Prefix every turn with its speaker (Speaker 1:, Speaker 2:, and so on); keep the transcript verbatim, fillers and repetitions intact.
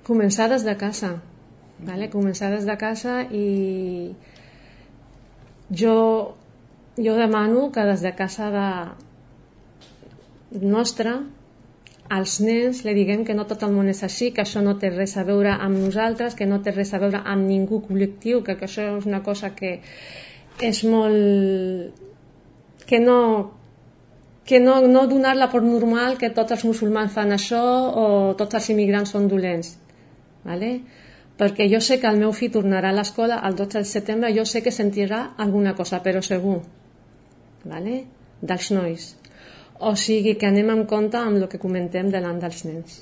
Speaker 1: Començar des de casa, vale? Començar des de casa i jo, jo demano que des de casa de nostra als nens li diguem que no tot el món és així, que això no té res a veure amb nosaltres, que no té res a veure amb ningú col·lectiu, que, que això és una cosa que és molt... que no que no, no donar-la per normal que tots els musulmans fan això o tots els immigrants són dolents, vale? Perquè jo sé que el meu fill tornarà a l'escola el dotze de setembre, jo sé que sentirà alguna cosa, però segur, vale? Dels nois. O sigui que anem en compte amb el que comentem davant dels nens.